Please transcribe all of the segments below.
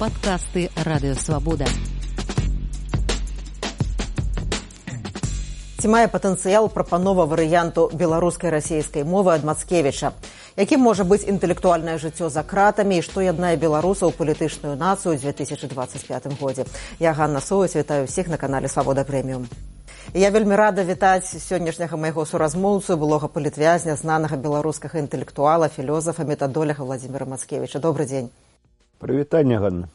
Падкасты Радыёвабода. Ці мае патэнцыял прапанова варыянту беларускай расейскай мовы ад Мацкевіча? Якім можа быць інтэлектуальнае жыццё за кратамі і што яднае беларусаў палітычную нацыю ў 2025 годзе? Я Ганна Соўць, вітаю ўсіх на канале Свабода Прэміум. Я вельмі рада вітаць сённяшняга майго суразмоўцу, былога палітвязня, знанага беларускага інтэлектуала, філёзафа, метадоляга Владзіміра Мацкевіча. Добры дзень. Прывітанне, Ганна.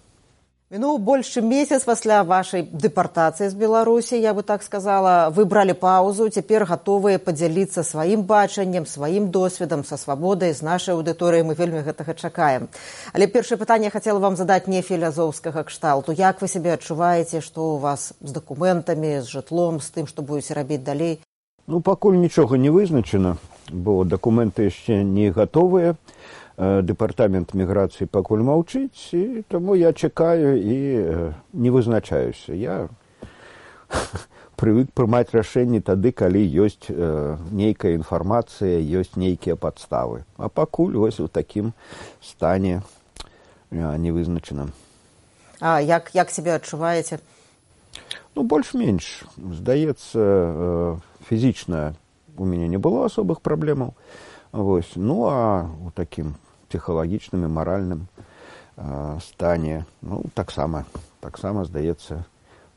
Мінуў больш чым месяц пасля вашай дэпартацыі з Беларусі, я бы так сказала, вы бралі паўзу, цяпер гатовыя падзяліцца сваім бачаннем, сваім досведам, са свабодай, з нашай аўдыторыяй, мы вельмі гэтага чакаем. Але першае пытанне я хацела вам задаць не філазофскага кшталту. Як вы сябе адчуваеце, што у вас з дакументамі, з жытлом, з тым, што будзеце рабіць далей? Пакуль нічога не вызначана, бо дакументы яшчэ не гатовыя. Дэпартамент міграцыі пакуль маўчыць, і таму я чакаю і не вызначаюся. Я прывык прымаць рашэнні тады, калі ёсць нейкая інфармацыя, ёсць нейкія падставы. А пакуль вось у такім стане невызначаным. А як сябе адчуваеце? Больш-менш. Здаецца, фізічна у мяне не было асобых праблемаў. Вось. А у такім псіхалагічным і маральным стане, таксама, здаецца,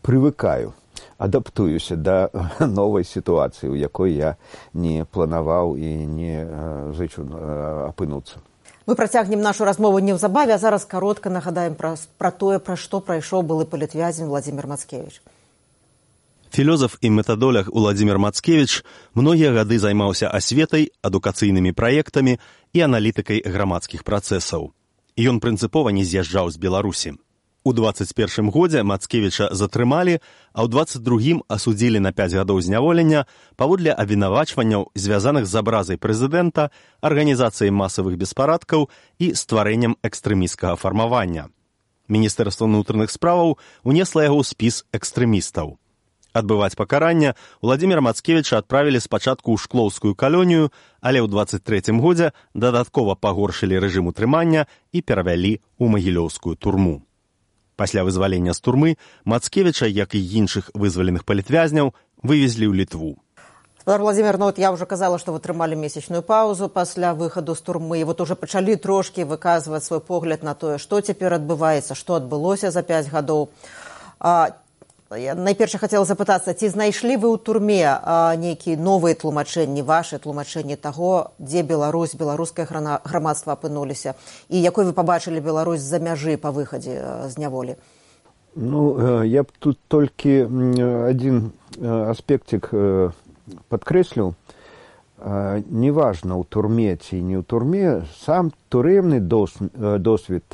прывыкаю, адаптуюся да новай сітуацыі, у якой я не планаваў і не зычу апынуцца. Мы працягнем нашу размову неўзабаве, а зараз каротка нагадаем пра тое, пра што прайшоў былы палітвязень Владзімір Мацкевіч. Філёзаф і метадолог Уладзімір Мацкевіч многія гады займаўся асветай, адукацыйнымі праектамі і аналітыкай грамадскіх працэсаў. Ён прынцыпова не з'язджаў з Беларусі. У 21 годзе Мацкевіча затрымалі, а ў 22-м асудзілі на 5 гадоў зняволення паводле абвінавачванняў, звязаных з абразай прэзідэнта, арганізацыяй масавых беспарадкаў і стварэннем экстрэмісцкага фармавання. Міністэрства ўнутраных справаў унесла яго ў спіс экстрэмістаў. Адбываць пакаранне Уладзіміра Мацкевіча адправілі спачатку ў шклоўскую калонію, але ў 23-м годзе дадаткова пагоршылі рэжым утрымання і перавялі ў магілёўскую турму. Пасля вызвалення з турмы Мацкевіча, як і іншых вызваленых палітвязняў, вывезлі ў Літву. Спадар Владзімір, я ўжо казала, што вы трымалі месячную паўзу пасля выхаду з турмы, і уже пачалі трошкі выказваць свой погляд на тое, што цяпер адбываецца, што адбылося за 5 гадоў. Я найперш хацела запытацца, ці знайшлі вы ў турме нейкія новыя тлумачэнні, вашы тлумачэнні таго, дзе Беларусь, беларускае грамадства апынуліся, і якой вы пабачылі Беларусь з-за мяжы па выхадзе з няволі? Я б тут толькі адзін аспектик падкрэсліў. Неважна, у турме ці не ў турме, сам турэмны досвед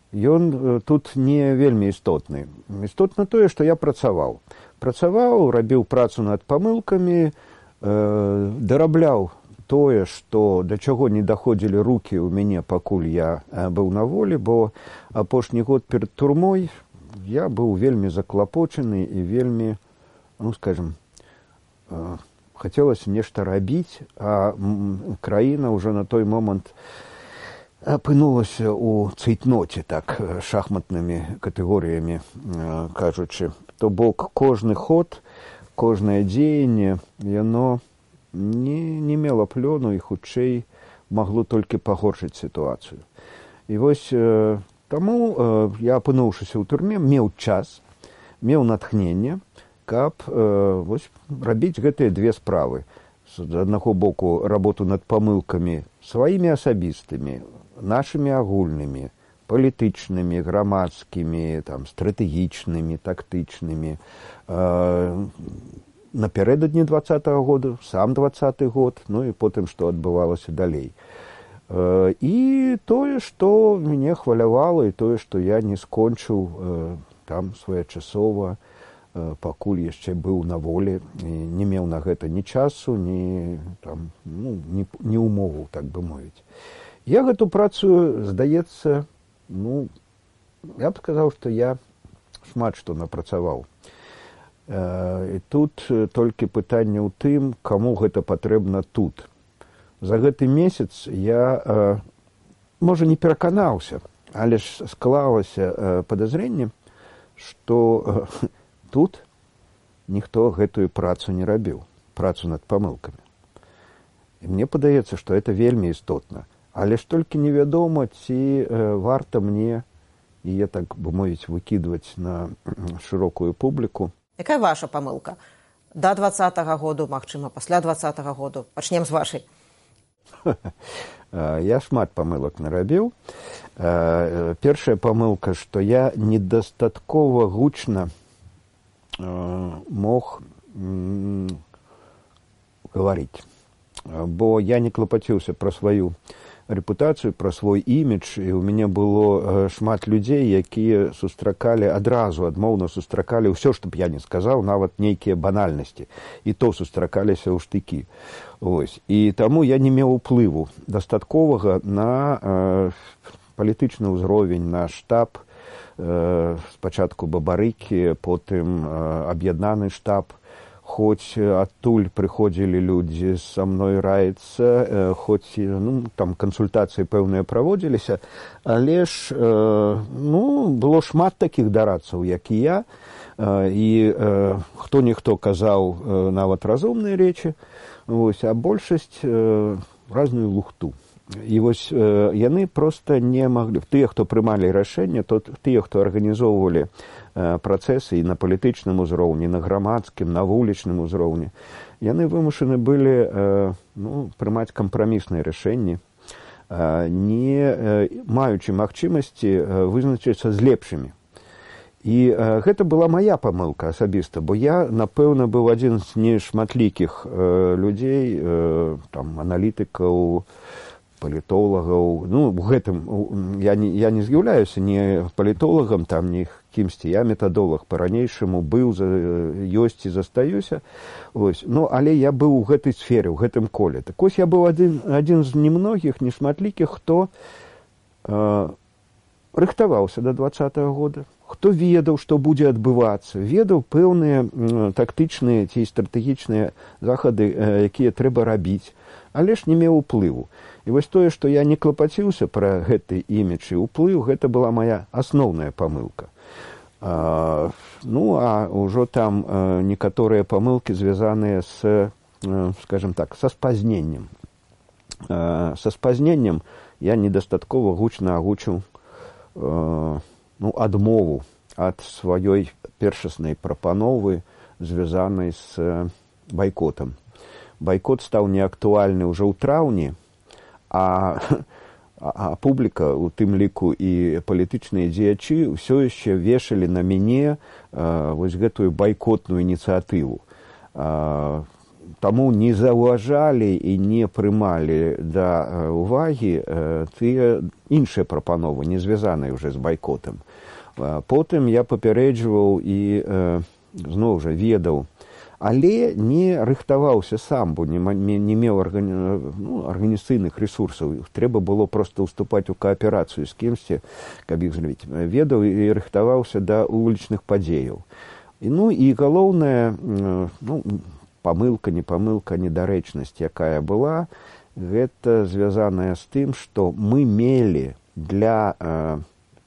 ён тут не вельмі істотны. Істотна тое, што я працаваў. Рабіў працу над памылкамі, дарабляў тое, што да чаго не даходзілі рукі ў мяне, пакуль я быў на волі, бо апошні год перад турмой я быў вельмі заклапочаны і вельмі, хацелася нешта рабіць, а краіна ўжо на той момант апынулася ў цейтноце, так, шахматнымі катэгорыямі кажучы. То бок кожны ход, кожнае дзеянне, яно не мела плёну і хутчэй магло толькі пагоршыць сітуацыю. І вось таму я, апынуўшыся ў турме, меў час, меў натхненне, каб рабіць гэтыя две справы. З аднаго боку, работу над памылкамі сваімі асабістымі, нашымі агульнымі, палітычнымі, грамадскімі, стратэгічнымі, тактычнымі. Напярэдадні 20-го году, сам 20-й год, і потым, што адбывалася далей. І тое, што мяне хвалявала, і тое, што я не скончыў там своечасова, пакуль яшчэ быў на волі, не меў на гэта ні часу, ні умоваў, так бы мовіць. Я гэту працу, здаецца, я б сказаў, што я шмат што напрацаваў. І тут толькі пытанне ў тым, каму гэта патрэбна тут. За гэты месяц я, можа, не пераканаўся, Але ж склалася падазрэнне, што тут ніхто гэтую працу не рабіў, працу над памылкамі. І мне падаецца, што это вельмі істотна. Але ж толькі невядома, ці варта мне яе, так бы мовіць, выкідваць на шырокую публіку. Якая ваша памылка? Да 20-го году, магчыма, пасля 20-го году? Пачнем з вашай. Я шмат памылак нарабіў. Першая памылка, што я недастаткова гучна мог гаварыць. Бо я не клапаціўся пра сваю рэпутацыю, пра свой імідж, і ў мяне было шмат людзей, якія сустракалі адразу, адмоўна сустракалі ўсё, што б я не сказаў, нават нейкія банальнасці. І то сустракаліся ў штыкі. Ось. І таму я не меў уплыву дастатковага на палітычны ўзровень, на штаб, спачатку Бабарыкі, потым аб'яднаны штаб. Хоць адтуль прыходзілі людзі са мной раіцца, хоць там кансультацыі пэўныя праводзіліся, але ж было шмат такіх дарадцаў, як і я, і хто-ніхто казаў нават разумныя рэчы, а большасць разную лухту. І вось яны проста не маглі, тыя, хто прымалі рашэнне, тыя, хто арганізоўвалі працэсы і на палітычным узроўні, на грамадскім, на вулічным узроўні, яны вымушаны былі прымаць кампрамісныя рашэнні, не маючы магчымасці вызначыцца з лепшымі. І гэта была мая памылка асабіста, бо я, напэўна, быў адзін з нешматлікіх людзей, аналітыкаў, палітолагаў. У гэтым я не з'яўляюся ні палітолагам, ні кімсьці. Я метадолаг па-ранейшаму быў, ёсць і застаюся. Але я быў у гэтай сферы, у гэтым коле. Так ось я быў адзін з немногіх, нешматлікіх, хто рыхтаваўся да 20-го года, хто ведаў, што будзе адбывацца, ведаў пэўныя тактычныя ці стратэгічныя захады, якія трэба рабіць, але ж не меў уплыву. І вось тое, што я не клапаціўся пра гэты імідж і ўплыў, гэта была моя асноўная памылка. А ўжо там некаторыя памылкі звязаныя з, скажем так, са спазненнем. Са спазненнем я недастаткова гучна агучыў адмову ад сваёй першаснай прапановы, звязанай з байкотам. Байкот стаў неактуальны ўжо ў траўні, а публіка, у тым ліку і палітычныя дзеячы, ўсё яшчэ вешалі на мяне вось гэтую байкотную ініцыятыву. Таму не заўважалі і не прымалі да ўвагі тыя іншыя прапановы, не звязаныя ўжо з байкотам. Потым я папярэджваў і зноў жа ведаў, але не рыхтаваўся сам, бо не меў арганізацыйных ресурсаў. Трэба было проста ўступаць у кааперацыю з кімсьці, каб іх злавіць. Ведаў і рыхтаваўся да вулічных падзеяў. І галоўная памылка, недарэчнасць, якая была, гэта звязаная з тым, што мы мелі для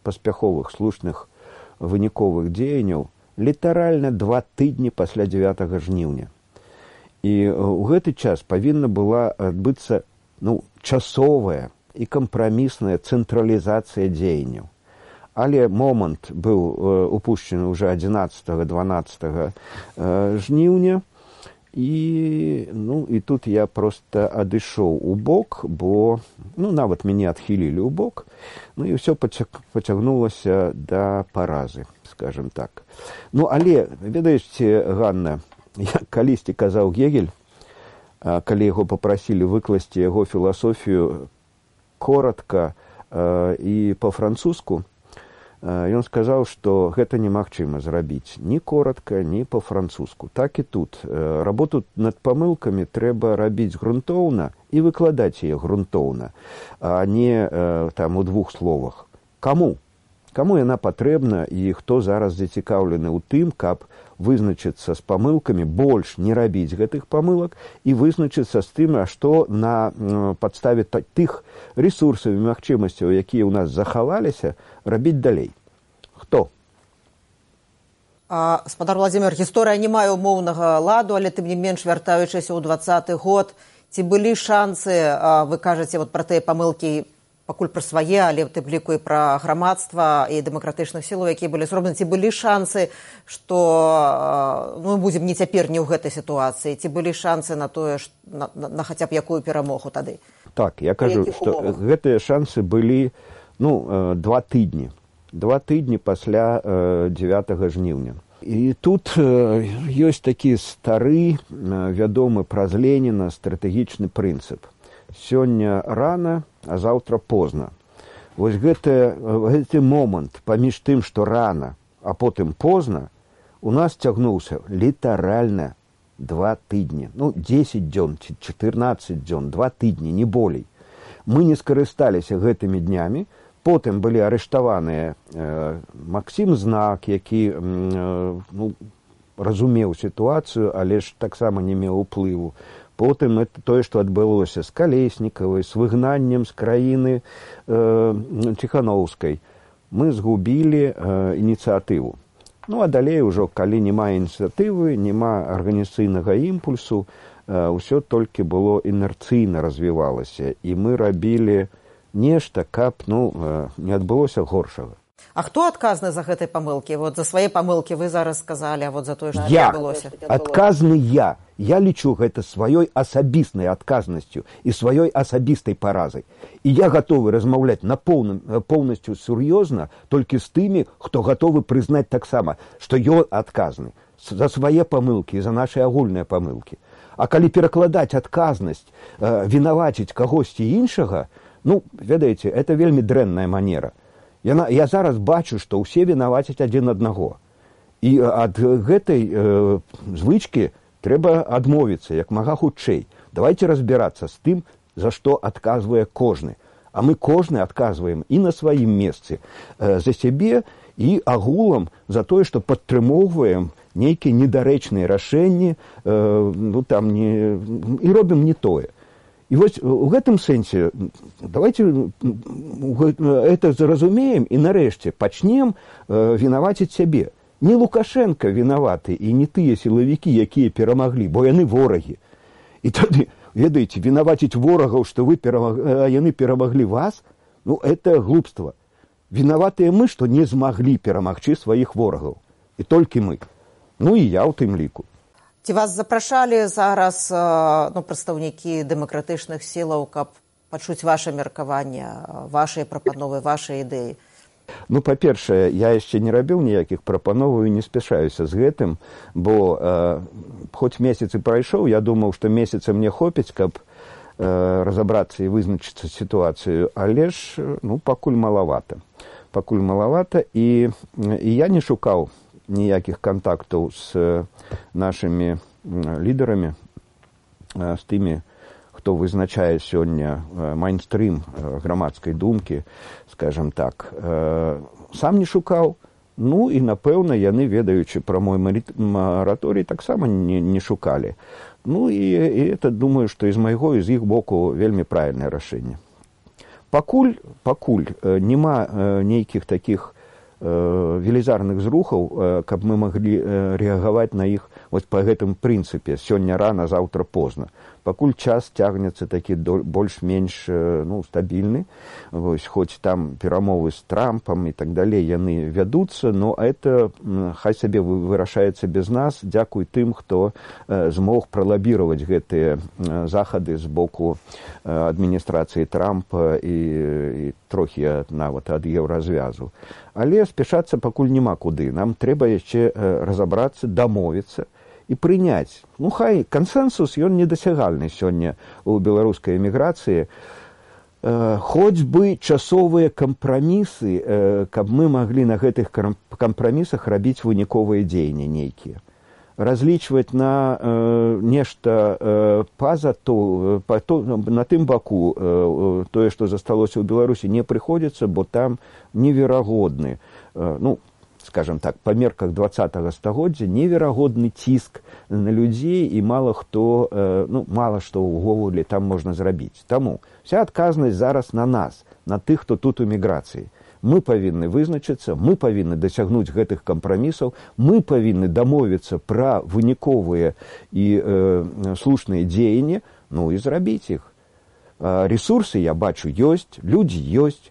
паспяховых, слушных, выніковых дзеянняў літаральна 2 тыдні пасля 9 жніўня. І ў гэты час павінна была адбыцца часовая і кампрамісная цэнтралізацыя дзеянняў. Але момант быў упушчаны ўжо 11-12 жніўня, і тут я проста адышоў у бок, бо нават мяне адхілілі ў бок, і ўсё пацягнулася да паразы, скажем так. Але, ведаеце, Ганна, як калісьці казаў Гегель, калі яго папрасілі выкласці яго філасофію коратка і па-французску, ён сказаў, што гэта немагчыма зрабіць ні коратка, ні па-французску. Так і тут. Работу над памылкамі трэба рабіць грунтоўна і выкладаць яе грунтоўна, а не у 2 словах. Каму? Каму яна патрэбна і хто зараз зацікаўлены ў тым, каб вызначыцца з памылкамі, больш не рабіць гэтых памылак і вызначыцца з тым, што на падставе тых рэсурсаў і магчымасцяў, якія ў нас захаваліся, рабіць далей. Хто? Спадар Владзімир, гісторыя не мае умоўнага ладу, але тым не менш, вяртаючыся ў 20-й год, ці былі шансы, вы кажаце пра тыя памылкі, пакуль пра свае, але тым ліку і пра грамадства і дэмакратычных сілаў, якія былі зроблены, ці былі шансы, што мы будзем не цяпер, не ў гэтай сітуацыі, ці былі шансы на тое, на хаця б якую перамогу тады? Так, я кажу, што гэтыя шансы былі 2 тыдні. 2 тыдні пасля 9 жніўня. І тут ёсць такі стары, вядомы праз Леніна стратэгічны прынцып. Сёння рана, а заўтра позна. Вось гэты момант паміж тым, што рана, а потым позна, у нас цягнуўся літаральна 2 тыдні. 10 дзён, 14 дзён, 2 тыдні, не болей. Мы не скарысталіся гэтымі днямі. Потым былі арыштаваныя Максім Знак, які разумеў сітуацыю, але ж таксама не меў уплыву. Потым тое, што адбылося з Калеснікавай, з выгнаннем з краіны Ціхановскай. Мы згубілі ініцыятыву. А далей ужо, калі няма ініцыятывы, няма арганізацыйнага імпульсу, ўсё толькі было інерцыйна развівалася. І мы рабілі нешта, каб не адбылося горшага. А хто адказны за гэтай памылкі? За свае памылкі вы зараз сказалі, а за тое, што адбылося? Адказны я. Я лічу гэта сваёй асабіснай адказнасцю і сваёй асабістай паразай. І я гатовы размаўляць поўнасцю сур'ёзна толькі з тымі, хто гатовы прызнаць таксама, што ён адказны за свае памылкі і за нашы агульныя памылкі. А калі перакладаць адказнасць, вінаваціць кагосьці іншага, ведаеце, это вельмі дрэнная манера. Я зараз бачу, што ўсе вінавацяць адзін аднаго. І ад гэтай звычкі трэба адмовіцца як мага хутчэй. Давайте разбірацца з тым, за што адказвае кожны. А мы кожны адказваем і на сваім месцы за сябе і агулам за тое, што падтрымоўваем нейкія недарэчныя рашэнні і робім не тое. І вось у гэтым сэнсе давайте это зразумеем і нарэшце пачнем вінаваціць сябе. Не Лукашенко вінаваты і не тыя сілавікі, якія перамаглі, бо яны ворагі. І тады, ведаеце, вінаваціць ворагаў, што яны перамаглі вас, это глупства. Вінаватыя мы, што не змаглі перамагчы сваіх ворагаў. І толькі мы. І я ў тым ліку. Ці вас запрашалі зараз прадстаўнікі дэмакратычных сілаў, каб пачуць ваше меркаванне, вашыя прапановы, вашыя ідэі? Па-першае, я яшчэ не рабіў ніякіх прапановаў і не спяшаюся з гэтым, бо хоць месяц і прайшоў, я думаў, што месяца мне хопіць, каб разабрацца і вызначыцца сітуацыю, але ж пакуль малавата. Пакуль малавата, і я не шукаў ніякіх кантактаў з нашымі лідарамі, з тымі, хто вызначае сёння майнстрым грамадскай думкі, скажем так. Сам не шукаў, і, напэўна, яны, ведаючы пра мой мараторый, таксама не шукалі. І это, думаю, што і з майго, і з іх боку вельмі правільнае рашэнне. Пакуль няма нейкіх такіх велізарных зрухаў, каб мы маглі рэагаваць на іх па гэтым прынцыпе сёння рана, заўтра позна. Пакуль час цягнецца такі больш-менш стабільны, хоць там перамовы з Трампам і так далей яны вядуцца, но это хай сабе вырашаецца без нас, дзякуй тым, хто змог пралабіраваць гэтыя захады з боку адміністрацыі Трампа і трохі нават ад еўразвязу. Але спяшацца пакуль няма куды. Нам трэба яшчэ разабрацца, дамовіцца і прыняць. Хай кансэнсус, ён недасягальны сёння ў беларускай эміграцыі. Хоць бы часовыя кампрамісы, каб мы маглі на гэтых кампрамісах рабіць выніковыя дзеянні нейкія. разлічваць на нешта на тым баку тое, што засталося ў Беларусі, не прыходзіцца, бо там неверагодны, скажем так, па мерках 20-го стагоддзя неверагодны ціск на людзей, і мала што ўвогуле там можна зрабіць. Таму вся адказнасць зараз на нас, на тых, хто тут у міграцыі. Мы павінны вызначыцца, мы павінны дасягнуць гэтых кампрамісаў, мы павінны дамовіцца пра выніковыя і слушныя дзеянні, і зрабіць іх. Ресурсы, я бачу, ёсць, людзі ёсць,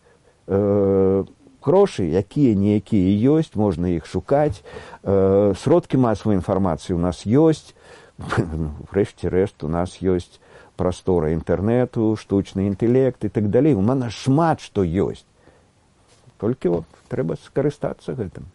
грошы, якія-ніякія ёсць, можна іх шукаць, сродкі масавай інфармацыі у нас ёсць, врэшце-рэшт у нас ёсць прастора інтэрнэту, штучны інтэлект і так далей. У нас шмат што ёсць. Толькі трэба скарыстацца гэтым.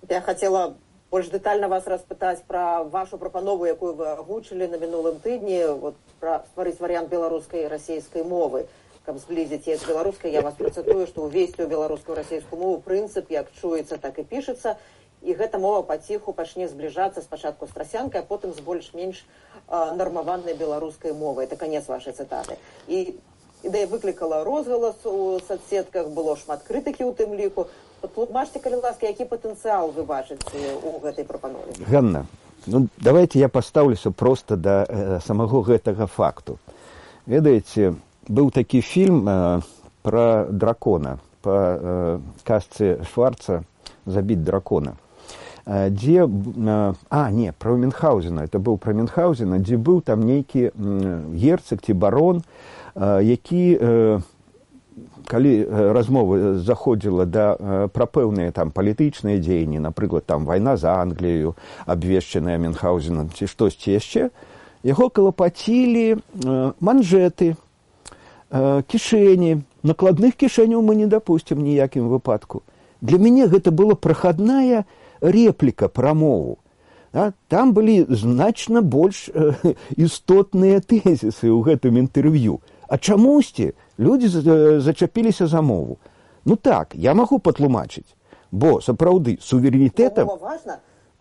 Я хацела больш дэтальна вас распытаць пра вашу прапанову, якую вы агучылі на мінулым тыдні, пра стварыць варыянт беларускай і расейскай мовы. Каб зблізіць з беларускай, я вас працытую, што ўвесці ў беларускую расейскую мову прынцып як чуецца, так і пішацца, і гэта мова паціху пачне збліжацца спачатку з трасянкай, а потым з больш-менш нармаванай беларускай мовай. Это канец вашай цытаты. І ідэя выклікала розгалас у соцсетках, было шмат крытыкі ў тым ліку. Тлумачце, калі ласка, які патэнцыял вы бачыце ў гэтай прапанове? Ганна, давайте я пастаўлюся проста да самого гэтага факту. Ведаеце, быў такі фільм пра дракона, па казцы Шварца «Забіць дракона», дзе, пра Мюнхгаузена, это быў пра Мюнхгаузена, дзе быў там нейкі герцаг ці барон, які, калі размова заходзіла пра пэўныя там палітычныя дзеянні, напрыклад, там вайна за Англію, абвешчаная Мюнхгаузенам, ці штосьці яшчэ, яго калапацілі манжэты, кішэні. Накладных кішэняў мы не дапусцім ніякім выпадку. Для мяне гэта была прахадная репліка пра мову. Там былі значна больш істотныя тэзісы ў гэтым інтэрв'ю. А чамусьці людзі зачапіліся за мову. Так, я магу патлумачыць, бо сапраўды суверэнітэтам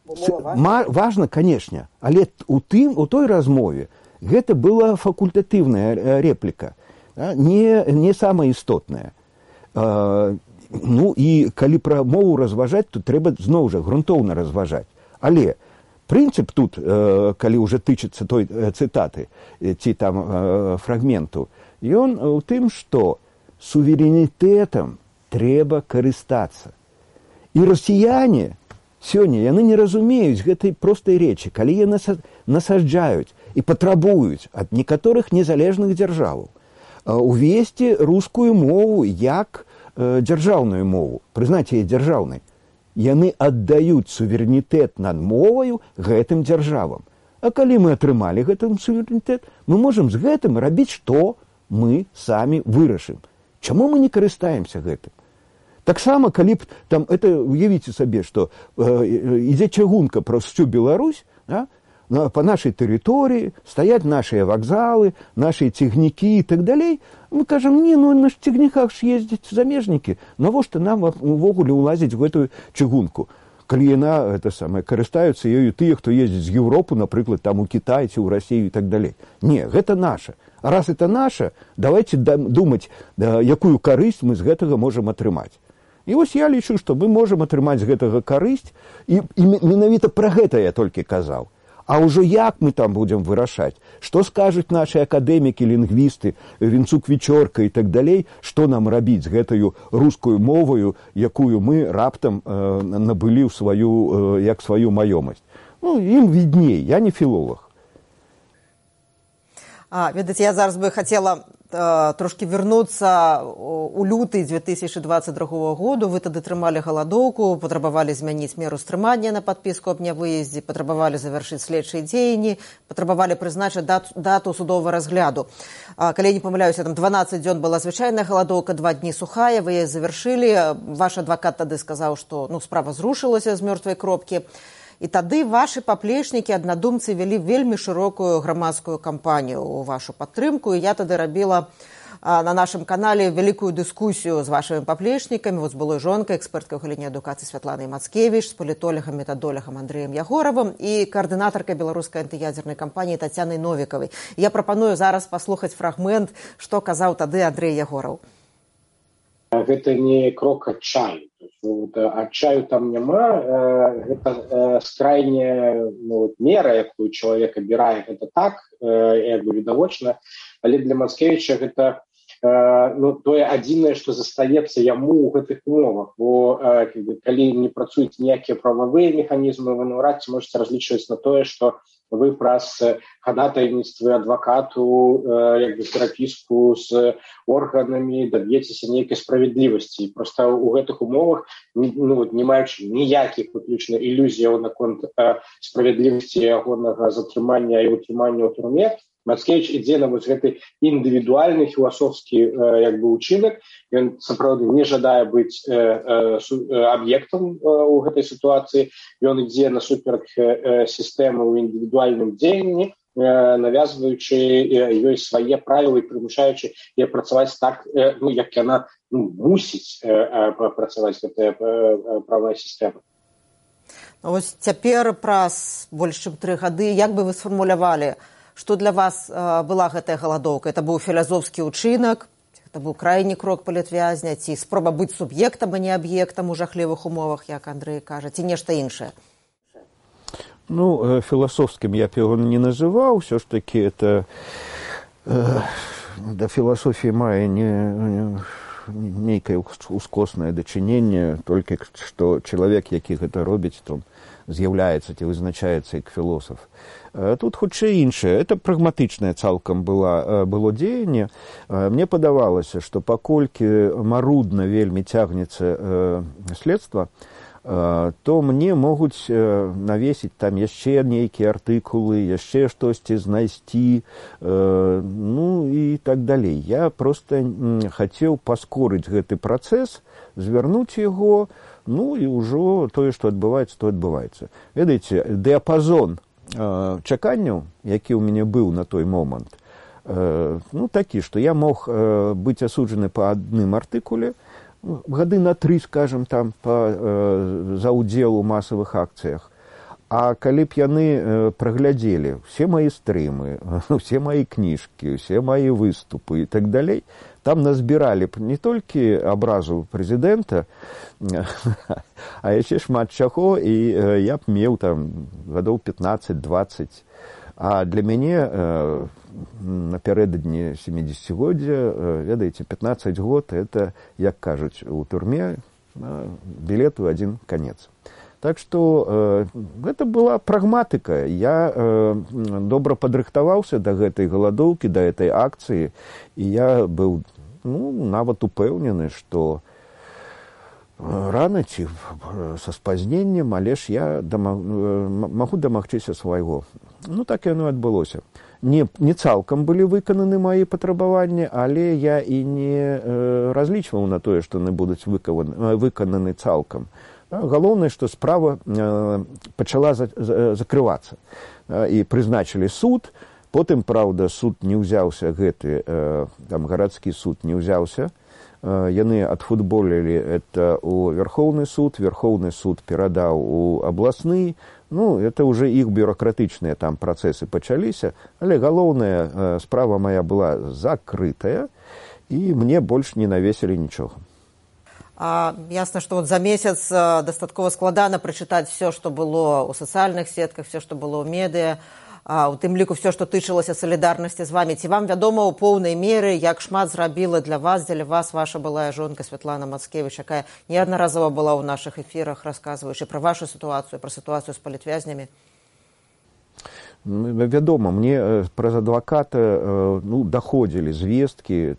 важна, канешне, але у той размове гэта была факультатыўная репліка, не самая істотная. І калі пра мову разважаць, то трэба зноў жа грунтоўна разважаць. Але прынцып тут, калі ўжо тычыцца той цытаты ці там фрагменту, ён у тым, што суверэнітэтам трэба карыстацца. І расіяне сёння, яны не разумеюць гэтай простай рэчы, калі яны насаджаюць і патрабуюць ад некаторых незалежных дзяржаваў увесці рускую мову як дзяржаўную мову, прызнаць яе дзяржаўнай. Яны аддаюць суверэнітэт над моваю гэтым дзяржавам. А калі мы атрымалі гэты суверэнітэт, мы можам з гэтым рабіць, што мы самі вырашым. Чаму мы не карыстаемся гэтым? Таксама, калі б там, уявіце сабе, што ідзе чыгунка праз всю Беларусь, по нашай тэрыторыі стаяць нашыя вакзалы, нашыя цягнікі і так далей, мы кажам, на цягніках ж ездзяць замежнікі, навошта нам увогуле ўлазіць в гэтую чыгунку? Калі яна, карыстаюцца ёю тыя, хто ездзіць з Еўропы, напрыклад, там у Кітай ці ў Расію і так далей. Не, гэта наша. А раз это наша, давайте думаць, якую карысць мы з гэтага можам атрымаць. І вось я лічу, што мы можам атрымаць з гэтага карысць, і менавіта пра гэта я толькі казаў. А ўжо як мы там будзем вырашаць? Што скажуць нашы акадэмікі, лінгвісты, Вінцук-Вічорка і так далей, што нам рабіць з гэтаю рускую моваю, якую мы раптам набылі як сваю маёмасць? Ім відней, я не філолог. Ведаце, я зараз бы хацела трошки вернуцца у люты 2022 году. Вы тады трымалі галадоўку, патрабавалі змяніць меру стрымання на падпіску аб нявыездзе, патрабавалі завяршыць следчыя дзеянні, патрабавалі прызначыць дату судовага разгляду. Калі я не памыляюся, там 12 дзён была звычайная галадоўка, 2 дні сухая, вы яе завяршылі. Ваш адвакат тады сказаў, што справа зрушылася з мёртвай кропкі. І тады вашы паплечнікі, аднадумцы вялі вельмі шырокую грамадскую кампанію ў вашу падтрымку. І я тады рабіла на нашым канале вялікую дыскусію з вашымі паплечнікамі, з былой жонкай, эксперткай у галіне адукацыі Святланай Мацкевіч, з палітолегам, метадолегам Андрэем Ягоравым і каардынатаркай беларускай антыядзернай кампаніі Тацянай Новікавай. Я прапаную зараз паслухаць фрагмент, што казаў тады Андрэй Ягораў. Гэта не крок адчаю. Адчаю там няма. Гэта скрайняя мера, якую чалавек абірае, гэта так, як бы відавочна. Але для Мацкевіча гэта тое адзінае, што застаецца яму ў гэтых умовах. Бо калі не працуюць ніякія прававыя механізмы, вы наўрад ці можаце разлічваць на тое, што вы праз хадатайніцтвы адвакату, як бы перапіску з органамі даб'ецеся нейкай справядлівасці. Проста ў гэтых умовах, не маючы ніякіх выключна ілюзіяў наконт справядлівасці ягонага затрымання і утрымання ў турме, Мацкевіч ідзе на гэты індывідуальны філасофскі як бы учынак. Ён сапраўды не жадае быць аб'ектам у гэтай сітуацыі. Ён ідзе насуперак сістэмы ў індывідуальным дзеянні, навязваючы ёй свае правілы і прымушаючы яе працаваць так, як яна мусіць працаваць, гэтая правая сістэма. Вось цяпер праз больш чым 3 гады, як бы вы сфармулявалі, што для вас была гэтая галадоўка? Это быў філазофскі ўчынак, это быў крайні крок палітвязня, ці спроба быць суб'ектам, а не аб'ектам у жахлівых умовах, як Андрэй кажа, ці нешта іншае? Філасофскім я б яго не называў, ўсё ж такі это да філасофіі мае нейкае ускоснае дачыненне, толькі што чалавек, які гэта робіць, то з'яўляецца ці вызначаецца як філосаф. Тут хутчэй іншае. Это прагматычнае цалкам было дзеянне. Мне падавалася, што паколькі марудна вельмі цягнецца следства, то мне могуць навесіць там яшчэ нейкія артыкулы, яшчэ штосьці знайсці, і так далей. Я проста хацеў паскорыць гэты працэс, звярнуць яго, і ўжо тое, што адбываецца, то адбываецца. Ведаеце, дыяпазон чаканняў, які ў мяне быў на той момант, такі, што я мог быць асуджаны па адным артыкуле, гады на 3, скажем, там, за ўдзел у масавых акцыях. А калі б яны праглядзелі ўсе мае стрымы, усе мае кніжкі, усе мае выступы і так далей, там назбіралі б не толькі абразу прэзідэнта, а яшчэ шмат чаго, і я б меў там гадоў 15-20. А для мяне напярэдадні 70-годдзя, ведаеце, 15 год, это, як кажуць, у турме білет у адзін канец. Так што гэта была прагматыка. Я добра падрыхтаваўся да гэтай галадоўкі, да гэтай акцыі, і я быў нават упэўнены, што рана ці са спазненнем, але ж я магу дамагчыся свайго. Так яно адбылося. Не цалкам былі выкананы мае патрабаванні, але я і не разлічваў на тое, што яны будуць выкананы цалкам. Галоўнае, што справа пачала закрывацца. І прызначылі суд, потым, праўда, суд не ўзяўся гэты, там гарадскі суд не ўзяўся. Яны адфутболілі это ў Верхоўны суд перадаў у абласны. Это ўжо іх бюракратычныя там працэсы пачаліся, але галоўная справа мая была закрытая, і мне больш не навесілі нічога. Ясна, што за месяц дастаткова складана прачытаць все, што было ў сацыяльных сетках, все, што было ў медыа, у тым ліку все, што тычылася салідарнасці з вамі. Ці вам вядома ў поўнай меры, як шмат зрабіла для вас, дзеля вас ваша былая жонка Святлана Мацкевіч, якая неаднаразова была ў нашых эфірах, расказваючы пра вашу сітуацыю, пра сітуацыю з палітвязнямі? Вядома, мне праз адваката даходзілі звесткі,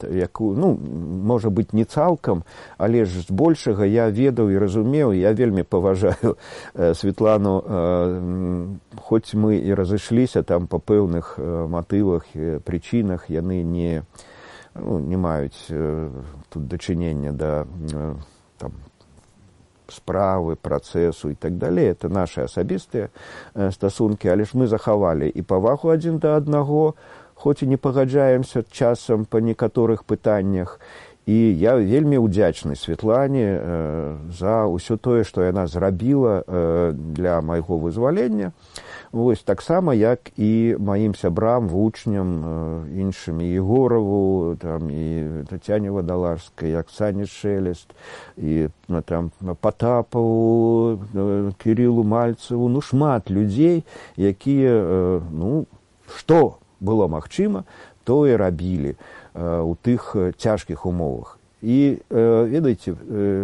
можа быць, не цалкам, але ж збольшага я ведаў і разумеў, я вельмі паважаю Светлану, хоць мы і разышліся там па пэўных матывах, прычынах, яны не маюць тут дачынення да справы, працэсу і так далей. Это наши асабістыя стасункі, але ж мы захавалі і павагу адзін да аднаго, хоць і не пагаджаемся часам па некаторых пытаннях. І я вельмі ўдзячны Светлане за ўсё тое, што яна зрабіла для майго вызвалення. Вось таксама, як і маім сябрам, вучням, іншым, і Егораву, там, і Тацяне Вадаларскай, Аксане Шелест, і там, Патапаву, Кірілу Мальцеву, ну, шмат людзей, якія, ну, што было магчыма, тое рабілі у тых цяжкіх умовах. І, ведаеце,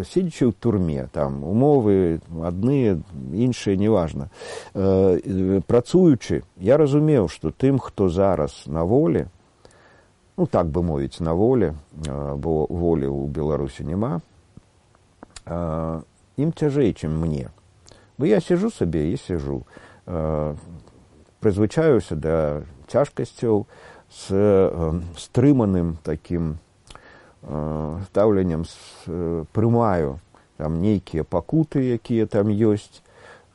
сидячи ў турме, там, умовы адныя, іншыя, неважна, працуючы, я разумеў, што тым, хто зараз на волі, ну, так бы мовіць, на волі, бо волі ў Беларусі няма, ім цяжэй, чым мне. Бо я сижу сабе і сижу, прызвычаюся да цяжкасцяў, з стрыманым такім стаўленнем, прымаю там нейкія пакуты, якія там ёсць,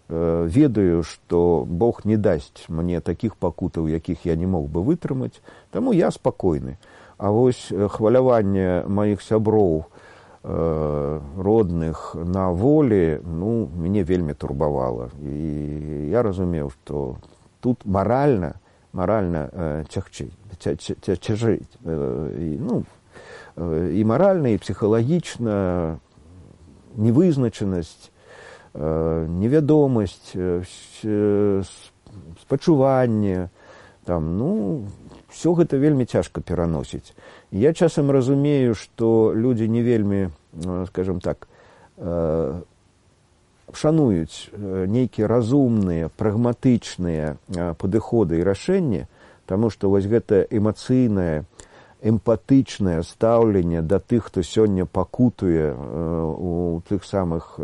ведаю, што Бог не дасць мне такіх пакутаў, якіх я не мог бы вытрымаць, таму я спакойны. А вось хваляванне маіх сяброў родных на волі, ну, мяне вельмі турбавала. І я разумеў, што тут маральна цяжэй. Ну, і маральна, і псіхалагічна, невызначанасць, невядомасць, спачуванне, там, ну, все гэта вельмі цяжка пераносіць. Я часам разумею, што людзі не вельмі, скажем так, шануюць нейкія разумныя, прагматычныя падыходы і рашэнні, таму што вось гэта эмацыйнае, эмпатычнае стаўленне да тых, хто сёння пакутуе у тых самых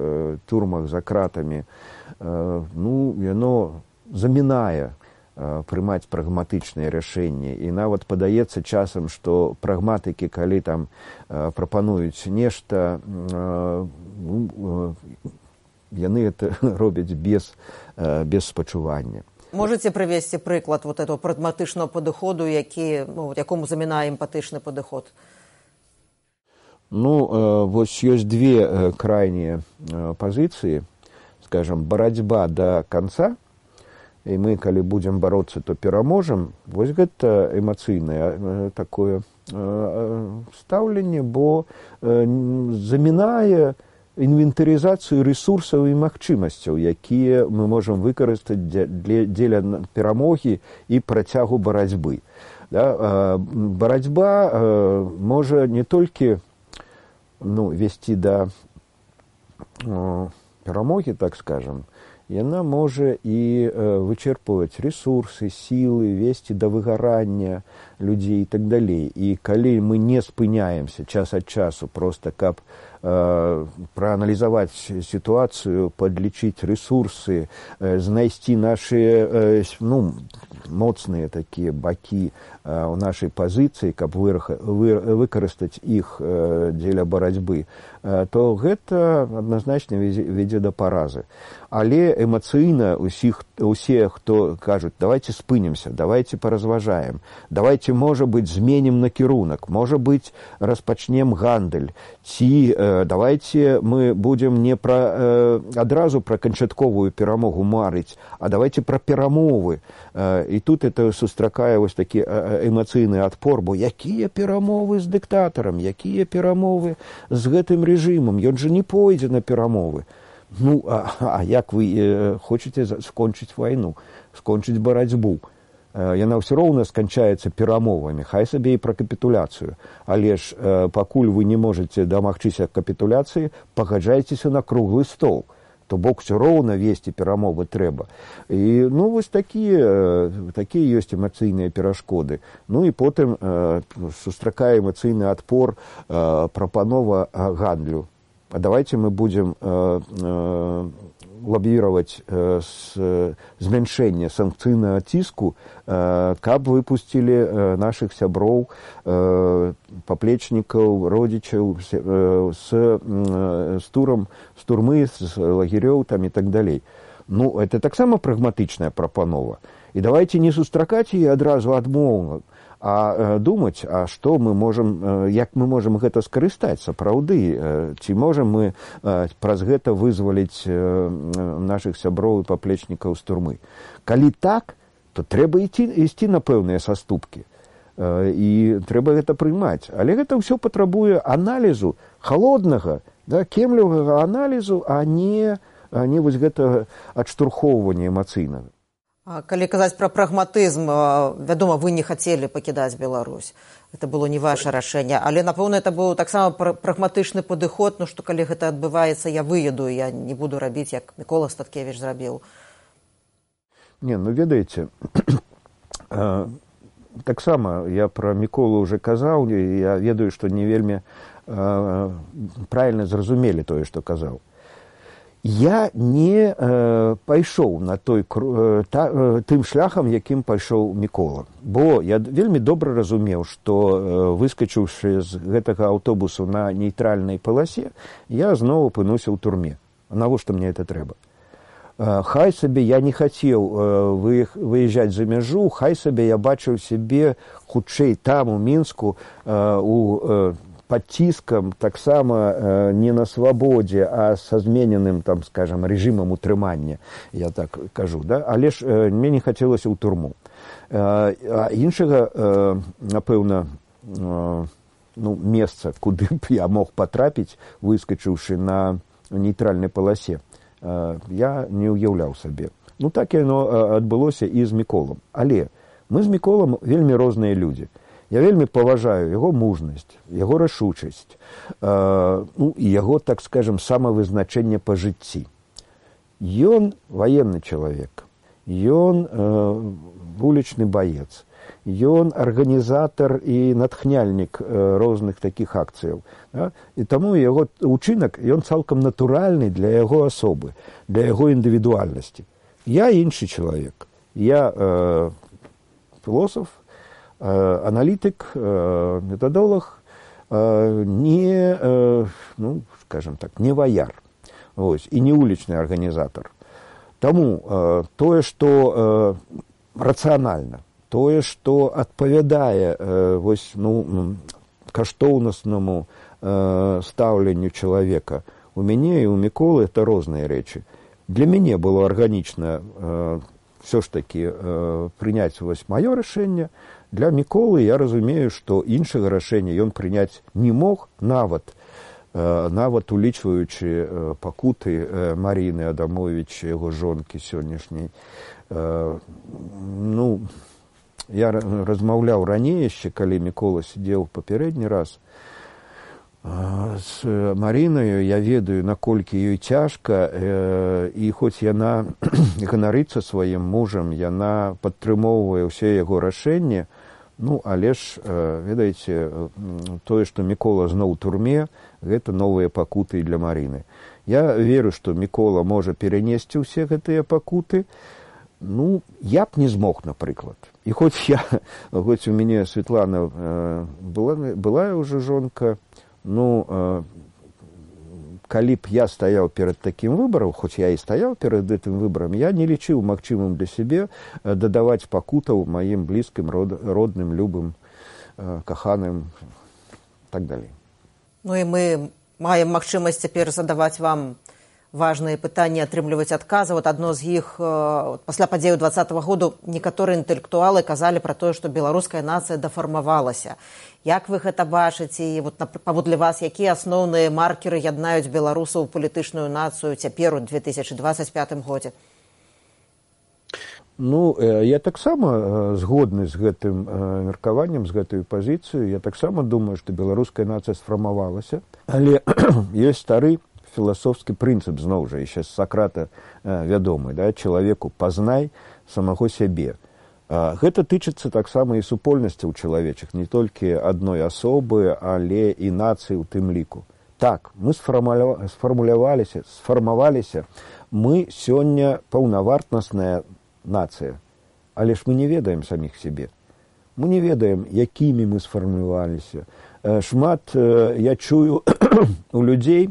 турмах за кратамі, ну, яно замінае прымаць прагматычныя рашэнні. І нават падаецца часам, што прагматыкі, калі там прапануюць нешта, яны это робяць без спачування. Можете привести приклад вот этого прагматичного підходу, якому замінає емпатичний підход? Ну, вось ёсць две крайнія пазіцыі, скажем, барацьба до конца, і мы, калі будзем бароцца, то пераможам. Вось гэта эмацыйнае такое стаўленне, бо замінае інвентарызацыю рэсурсаў і магчымасцяў, якія мы можам выкарыстаць дзеля перамогі і працягу барацьбы. Да? Барацьба можа не толькі весці да перамогі, так скажам, яна можа і вычерпваць рэсурсы, сілы, весці да выгарання людзей і так далей. І калі мы не спыняемся час ад часу, проста каб прааналізаваць сітуацыю, падлічыць рэсурсы, знайсці нашы моцныя такія бакі ў нашай пазіцыі, каб выкарыстаць іх дзеля барацьбы, то гэта адназначна вядзе да паразы. Але эмацыйна усе, хто кажуць, давайте спынемся, давайте паразважаем, давайте, можа быць, зменім накірунак, можа быць, распачнем гандаль, ці давайте мы будем не адразу пра канчатковую перамогу марыць, а давайте пра перамовы. І тут это сустракае вось такі эмацыйны адпор, бо якія перамовы з дыктатарам, якія перамовы з гэтым рэжымам, ён жа не пойдзе на перамовы. Ну, а як вы хочаце скончыць вайну, скончыць барацьбу? Яна ўсё роўна сканчаецца перамовамі, хай сабе і пра капітуляцыю. Але ж пакуль вы не можаце дамагчыся капітуляцыі, пагаджайцеся на круглы стол. То бок ўсё роўна весці перамовы трэба. І, вось такія ёсць эмацыйныя перашкоды. Ну і потым сустракае эмацыйны адпор прапанова гандлю. А давайте мы будем лоббировать змяншэнне санкцыйнага ціску, каб выпусцілі нашых сяброў, паплечнікаў, родзічаў з турмы, з лагерёў там і так далей. Ну, это таксама прагматычная прапанова. І давайте не сустракаць яе адразу адмоўна, а думаць, а што мы можам, як мы можам гэта скарыстаць сапраўды, ці можам мы праз гэта вызваліць нашых сяброў і паплечнікаў з турмы. Калі так, то трэба ісці на пэўныя саступкі. І трэба гэта прыймаць. Але гэта ўсё патрабуе аналізу, халоднага, да, кемлівага аналізу, а не вось гэта адштурхоўванне эмацыйнага. Калі казаць пра прагматызм, вядома, вы не хацелі пакідаць Беларусь. Это было не ваше рашэнне. Але, напэўна, это быў таксама прагматычны падыход, ну што калі гэта адбываецца, я выеду, я не буду рабіць, як Мікола Статкевіч зрабіў. Не, ну ведаеце, таксама я пра Міколу уже казаў, і я ведаю, што не вельмі правільна зразумелі тое, што казаў. Я не пайшоў на тым шляхам, якім пайшоў Мікола. Бо я вельмі добра разумеў, што выскачыўшы з гэтага аўтобусу на нейтральнай паласе, я зноў апынуся ў турме. Навошта мне это трэба? Хай сабе я не хацеў выязджаць за мяжу, хай сабе я бачыў сябе хутчэй там, у Мінску, под ціскам, таксама не на свабодзе, а са змененым, там, скажем, рэжымам утрымання, я так кажу, да? Але ж мне не хацелася ў турму. А іншага, напэўна, месца, куды б я мог патрапіць, выскачыўшы на нейтральнай паласе, я не ўяўляў сабе. Ну, так яно адбылося і з Міколам. Але мы з Міколам вельмі розныя людзі. Я вельмі паважаю яго мужнасць, яго рашучасць, і яго, так скажем, самавызначэнне па жыцці. Ён ваенны чалавек, ён вулічны баец, ён арганізатар і натхняльнік розных такіх акцыяў. Да? І таму яго ўчынак, ён цалкам натуральны для яго асобы, для яго індывідуальнасці. Я іншы чалавек. Я філосаф, аналітык, метадолог, не, скажем так, не ваяр, ось, і не улічны арганізатар. Таму тое, што рацыянальна, тое, што адпавядае каштоўнаснаму стаўленню чалавека, у мяне і ў Міколы это розныя рэчы. Для мяне было арганічна все ж таки прыняць маё рашэнне. Для Міколы я разумею, што іншага рашэння ён прыняць не мог, нават улічваючы пакуты Маріны Адамовіч, яго жонкі сённяшняй. Я размаўляў раней яшчэ, калі Мікола сидзеў папярэдні раз з Марінаю, я ведаю, наколькі ёй цяжка, і хоць яна ганарыцца сваім мужам, яна падтрымоўвае ўсе яго рашэнні, але ж, ведаеце, тое, што Мікола зноў у турме, гэта новыя пакуты для Маріны. Я веру, што Мікола можа перанесці ўсе гэтыя пакуты. Я б не змог, напрыклад. І хоць у мяне Светлана была ўжо жонка, калі б я стаяў перад такім выбарам, хоць я і стаяў перад гэтым выбарам, я не лічыў магчымым для сябе дадаваць пакутаў маім блізкім, родным, любым, каханым, так далей. І мы маем магчымасць цяпер задаваць вам важныя пытанні, атрымліваць адказы. Адно з іх, пасля падзеяў 2020 году, некаторыя інтэлектуалы казалі пра тое, што беларуская нацыя дафармавалася. Як вы гэта бачыце? І паводле вас, якія асноўныя маркеры яднаюць беларусаў у палітычную нацыю цяпер у 2025 годзе? Я таксама згодны з гэтым меркаваннем, з гэтай пазіцыяй. Я таксама думаю, што беларуская нацыя сфармавалася. Але ёсць стары філасофскі прынцып, зноў жа, яшчэ з Сакрата вядомы, да, чалавеку пазнай самого сябе. Гэта тычыцца таксама і супольнасцяў чалавечых, не толькі адной асобы, але і нацыі ў тым ліку. Так, мы сфармаваліся, мы сёння паўнавартнасная нацыя, але ж мы не ведаем саміх сябе. Мы не ведаем, якімі мы сфармаваліся. Шмат я чую у людзей,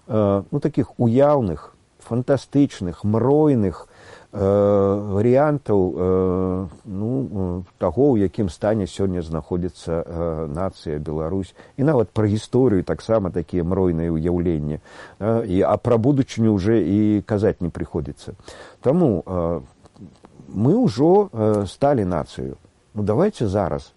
таких уяўных, фантастычных, мройных варыянтаў таго, у якім стане сёння знаходзіцца нацыя Беларусь. І нават пра гісторыю таксама такія мройныя ўяўленні. А пра будучыню ўжо і казаць не прыходзіцца. Таму мы ўжо сталі нацыю. Давайте зараз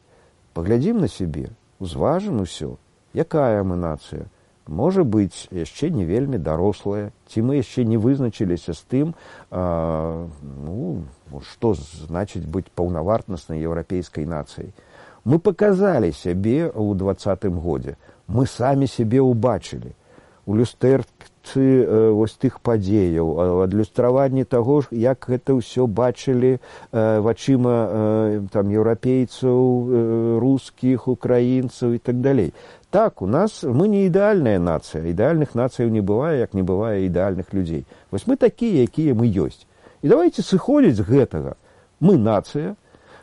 паглядзім на сябе, узважым усё, якая мы нацыя. Можа быць, яшчэ не вельмі дарослая, ці мы яшчэ не вызначыліся з тым, што значыць быць паўнавартаснай еўрапейскай нацыяй. Мы паказалі сябе ў 2020 годзе. Мы самі сябе ўбачылі. У люстэрцы вось тых падзеяў, адлюстраванні таго, як гэта ўсё бачылі вачыма еўрапейцаў, рускіх, украінцаў і так далей. Так, у нас мы не ідэальная нацыя. Ідэальных нацыяў не бывае, як не бывае ідэальных людзей. Вось мы такія, якія мы ёсць. І давайте сыходзіць з гэтага. Мы нацыя,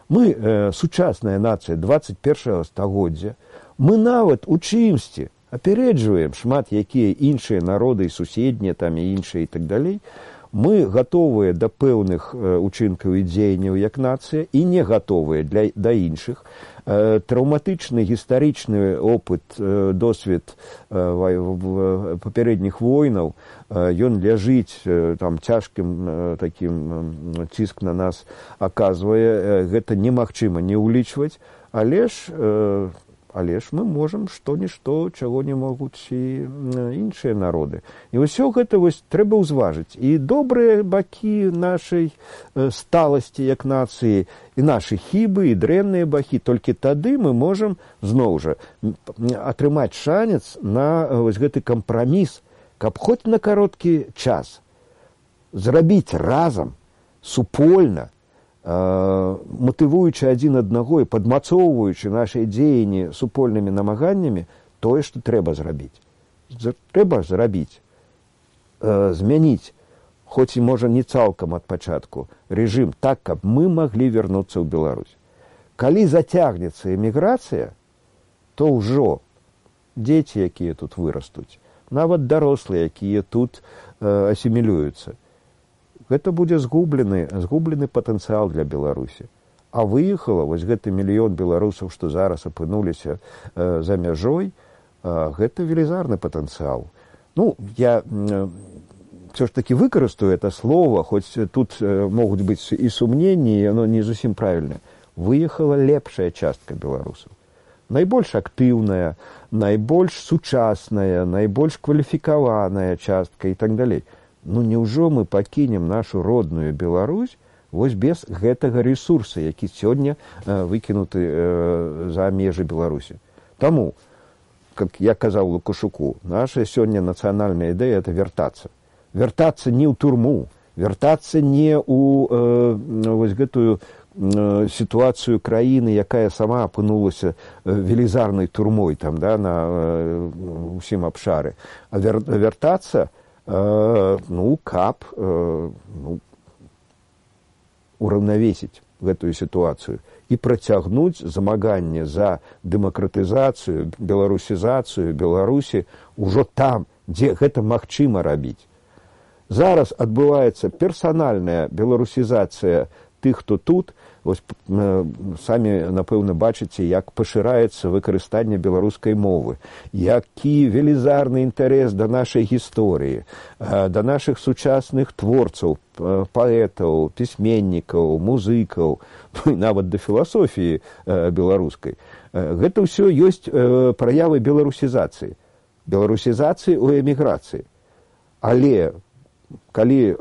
мы сучасная нацыя 21 стагоддзя. Мы нават у чымсьці апярэджваем шмат якія іншыя народы, суседнія там і іншыя і так далей. Мы гатовыя да пэўных учынкаў і дзеянняў як нацыя і не гатовыя да іншых. Траўматычны гістарычны опыт, досвед папярэдніх войнаў, ён ляжыць, там цяжкім такім ціск на нас аказвае, гэта немагчыма не ўлічваць, але ж мы можам што-нішто, чаго не могуць і іншыя народы. І ўсё гэта трэба ўзважыць. І добрыя бакі нашай сталасці як нацыі, і нашы хібы, і дрэнныя бакі. Толькі тады мы можам, зноў жа, атрымаць шанец на гэты кампраміс, каб хоць на кароткі час зрабіць разам, супольна, матывуючы адзін аднаго і падмацоўваючы нашы дзеянні супольнымі намаганнямі тое, што трэба зрабіць. Трэба зрабіць, змяніць, хоць і можа не цалкам ад пачатку, рэжым так, каб мы маглі вярнуцца ў Беларусь. Калі зацягнецца эміграцыя, то ўжо дзеці, якія тут вырастуць, нават дарослыя, якія тут асімілююцца, гэта будзе згублены патэнцыял для Беларусі. А выехала вось гэты мільён беларусаў, што зараз апынуліся за мяжой, гэта велізарны патэнцыял. Я все ж таки выкарыстаю это слово, хоць тут могуць быць і сумненні, і оно не зусім правільнае. Выехала лепшая частка беларусаў. Найбольш актыўная, найбольш сучасная, найбольш кваліфікаваная частка і так далей. Няўжо мы пакінем нашу родную Беларусь вось без гэтага ресурса, які сёння выкінуты за межы Беларусі. Таму, как я казаў Лукашуку, наша сёння нацыянальная ідэя – это вяртацца. Вяртацца не ў турму, вяртацца не ў вось гэтую сітуацыю краіны, якая сама апынулася велізарнай турмой там, на ўсім абшары. А вяртацца каб ураўнавесіць гэтую сітуацыю і працягнуць змаганне за дэмакратызацыю, беларусізацыю Беларусі ўжо там, дзе гэта магчыма рабіць. Зараз адбываецца персанальная беларусізацыя тых, хто тут. Вось самі, напэўна, бачыце, як пашыраецца выкарыстанне беларускай мовы, які велізарны інтарэс да нашай гісторыі, да нашых сучасных творцаў, паэтаў, пісьменнікаў, музыкаў, нават да філасофіі беларускай. Гэта ўсё ёсць праявы беларусізацыі ў эміграцыі. Але калі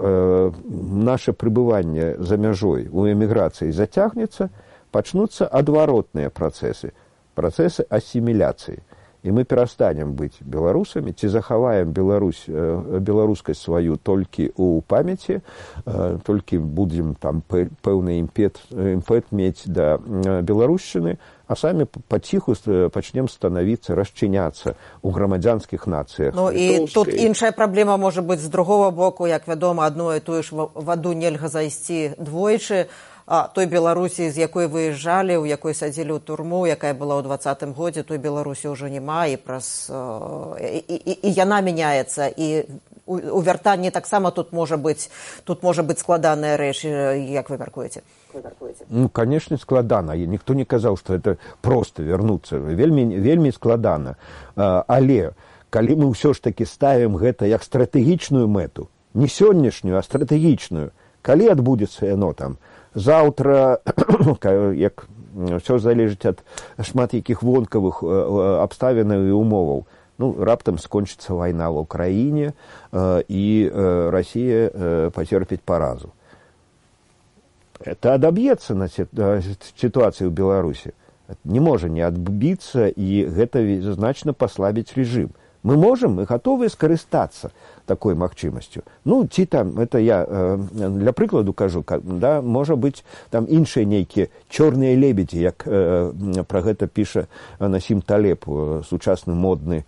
наше пребыванне за мяжой у эміграцыі зацягнецца, пачнуцца адваротныя працэсы асіміляцыі. І мы перастанем быць беларусамі, ці захаваем беларускасць сваю толькі ў памяці, толькі будзем там пэўны імпэт мець да беларушчыны, а самі паціху пачнем станавіцца, расчыняцца ў грамадзянскіх нацыях. І тут іншая праблема можа быць з другого боку, як вядома, адно і тую ж ваду нельга зайсці двойчы. Той Беларусі, з якой выязджалі, у якой садзілі ў турму, якая была ў 2020 годзе, той Беларусі ўжо няма, і яна мяняецца, і у вяртанні таксама тут можа быць складаная рэч, як вы мяркуеце? Ну, конечно, складана. Никто не казал, что это просто вернуться. Вельми складана. Але, калі мы ўсё ж таки ставим гэта як стратэгічную мэту, не сённяшнюю, а стратэгічную, калі адбудзецца яно там заўтра, як все залежыць ад шмат якіх вонкавых абставінаў і умоваў. Ну, раптам скончыцца вайна в Украіне, і Россия потерпіць паразу. Это адаб'ецца на ситуацию в Беларуси. Не можа не адбіцца, і гэта значна паслабіць режим. Мы можем, мы готовы скарыстацца такой магчымасцю. Ну, ці там, это я для прыкладу кажу, да, можа быць там іншыя нейкія чорныя лебедзі, як пра гэта піша Насім Талеб, сучасны модны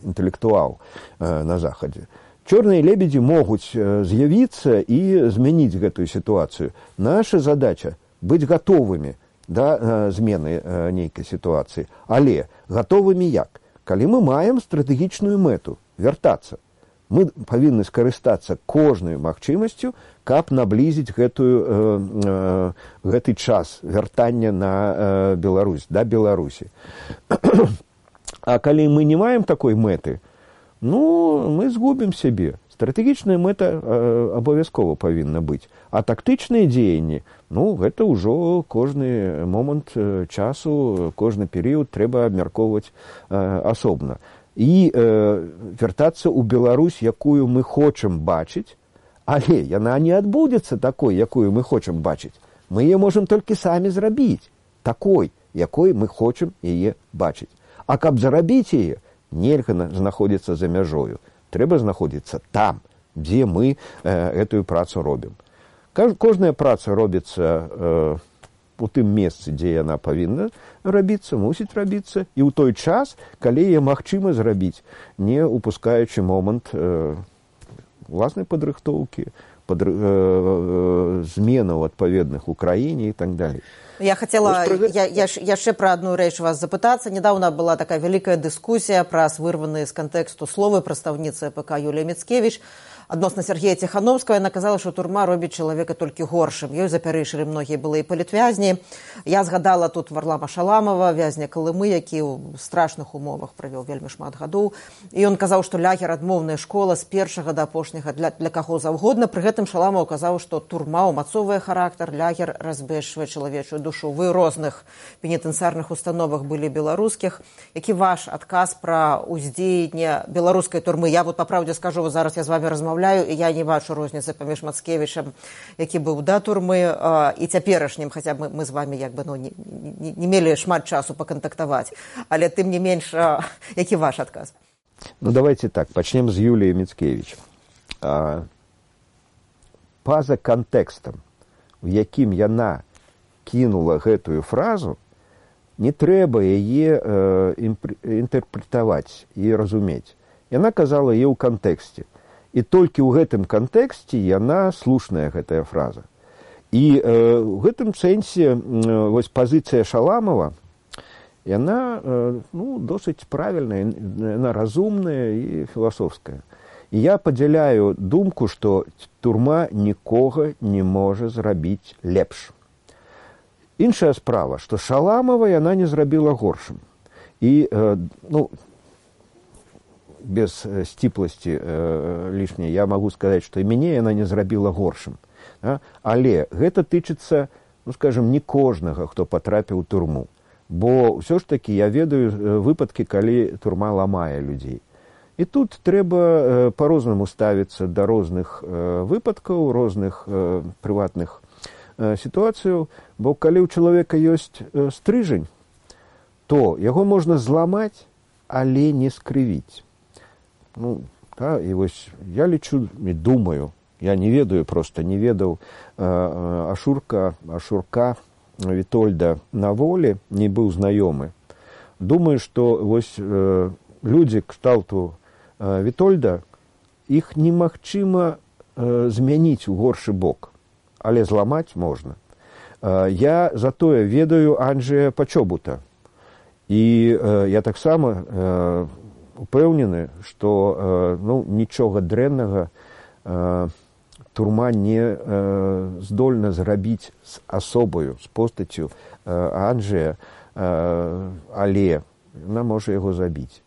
інтэлектуал на Захадзе. Чорныя лебедзі могуць з'явіцца і змяніць гэтую сітуацыю. Наша задача быць гатовымі да змены нейкай сітуацыі. Але гатовымі як? Калі мы маем стратэгічную мэту вяртацца, мы павінны скарыстацца кожнай магчымасцю, каб наблізіць гэты час вяртання на Беларусь, да Беларусі. А калі мы не маем такой мэты, ну, мы згубім сябе. Стратэгічная мэта абавязкова павінна быць. А тактычныя дзеянні, ну, гэта ўжо кожны момант часу, кожны перыяд трэба абмяркоўваць асобна. І вяртацца ў Беларусь, якую мы хочам бачыць, але яна не адбудзецца такой, якую мы хочам бачыць. Мы яе можам толькі самі зрабіць, такой, якой мы хочам яе бачыць. А каб зарабіць яе, нельга знаходзіцца за мяжою. Трэба знаходзіцца там, дзе мы гэтую працу робім. Кожная праца робіцца у тым месцы, дзе яна павінна рабіцца, мусіць рабіцца, і ў той час, калі яе магчыма зрабіць, не упускаючы момант уласнай падрыхтоўкі, зменаў адпаведных у краіне і так далей. Я хотела яшчэ пра адну рэч вас запытацца. Недавно была такая вялікая дыскусія праз вырваныя з кантэксту словы прадстаўніцы АПК Юлія Міцкевіч адносна Сергея Ціхановскага. Яна казала, што турма робіць чалавека толькі горшым. Ёй запярэчылі многія былыя палітвязні. Я згадала тут Варлама Шаламова, вязня Калымы, які ў страшных умовах правёў вельмі шмат гадоў. І ён казаў, што лагер адмоўная школа з першага да апошняга для каго заўгодна. Пры гэтым Шаламаў казаў, што турма ўмацоўвае характар, лагер разбэшвае чалавечую душу. Вы ў розных пенітэнцыярных установах былі беларускіх. Які ваш адказ пра ўздзеянне беларускай турмы? Я вот па правдзе скажу, зараз я з вами размаўляю, і я не бачу розніцы паміж Мацкевічам, які быў да турмы, і цяперашнім, хаця мы з вами як бы не мелі шмат часу пакантактаваць. Але тым не менш, які ваш адказ? Ну, давайте так, пачнем з Юліі Міцкевіч. Па-за кантэкстам, у якім яна кінула гэтую фразу, не трэба яе інтэрпрэтаваць і разумець. Яна казала яе ў кантэксце. І толькі ў гэтым кантэксце яна слушная, гэтая фраза. І ў гэтым сэнсе вось пазіцыя Шаламова, яна досыць правільная, яна разумная і філасофская. І я падзяляю думку, што турма нікога не можа зрабіць лепш. Іншая справа, што Шаламова яна не зрабіла горшым. І, без сціпласці лішняй, я магу сказаць, што і мяне яна не зрабіла горшым. Але гэта тычыцца, скажем, не кожнага, хто патрапіў у турму. Бо ўсё ж такі я ведаю выпадкі, калі турма ламае людзей. І тут трэба па-рознаму ставіцца да розных выпадкаў, розных прыватных сітуацыяў, бо калі ў чалавека ёсць стрыжань, то яго можна зламаць, але не скрывіць. І вось я лічу і думаю, я не ведаю, просто не ведаў Ашурка Вітольда на волі, не быў знаёмы. Думаю, што вось людзі кшталту Вітольда, іх немагчыма змяніць у горшы бок, але зламаць можна. Я затое ведаю Анджэя Пачобута. І я таксама упэўнены, што нічога дрэннага турма не здольна зрабіць з асобаю, з постаццю Анджэя, але яна можа яго забіць.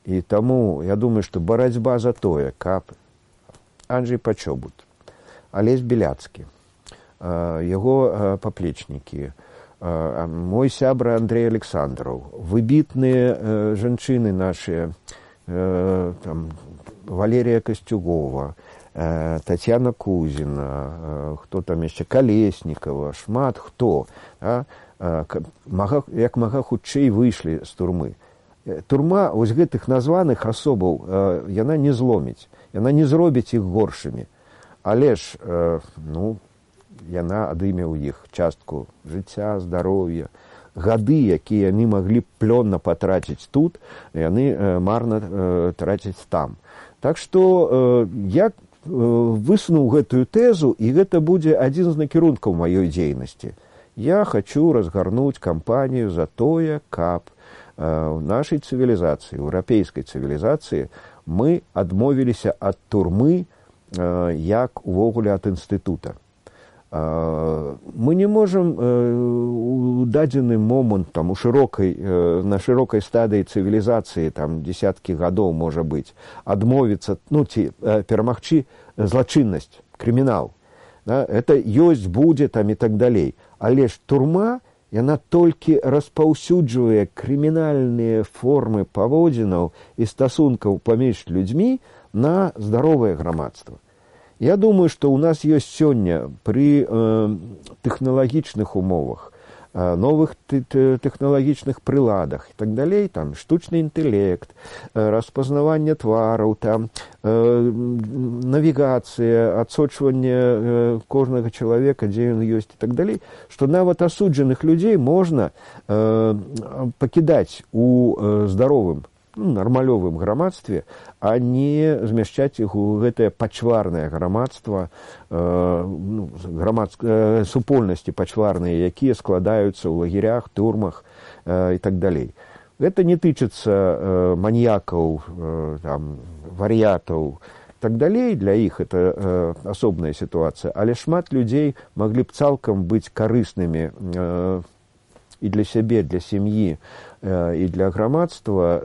І таму я думаю, што барацьба за тое, каб Анджэй Пачобут, Алесь Беляцкі, яго паплечнікі, мой сябра Андрей Александров, выбітныя жанчыны нашыя, Валерія Касцюгова, Татьяна Кузіна, хто там яшчэ, Калеснікава, шмат хто, як мага хутчэй выйшлі з турмы. Турма вось гэтых названых асобаў яна не зломіць, яна не зробіць іх горшымі, але ж яна адыме ў іх частку жыцця, здароўя, гады, якія яны маглі плённа патраціць тут, яны марна трацяць там. Так што я высунуў гэтую тэзу, і гэта будзе адзін з накірункаў маёй дзейнасці. Я хочу разгарнуць кампанію за тое, каб у нашай цывілізацыі, еўрапейскай цывілізацыі, мы адмовіліся ад турмы, як увогуле ад інстытута. Мы не можам у дадзены момант на шырокай стадыі цывілізацыі, дзесяткі гадоў, можа быць, адмовіцца, ці перамагчы злачыннасць, крымінал. Это ёсць, будзе і так далей. Але ж турма, яна толькі распаўсюджвае крымінальныя формы паводзінаў і стасункаў паміж людзьмі на здаровае грамадства. Я думаю, што ў нас ёсць сёння пры тэхналагічных умовах, новых тэхналагічных прыладах і так далей, штучны інтэлект, распазнаванне твараў, навігацыя, адсочванне кожнага чалавека, дзе ён ёсць і так далей, што нават асуджаных людзей можна пакідаць у здаровым, нармалёвым грамадстве, а не змяшчаць іх у гэтае пачварнае грамадства, супольнасці пачварныя, якія складаюцца ў лагерях, турмах і так далей. Гэта не тычыцца маньякаў, вар'ятаў і так далей, для іх это асобная сітуацыя, але шмат людзей маглі б цалкам быць карыснымі і для сябе, для сям'і, і для грамадства,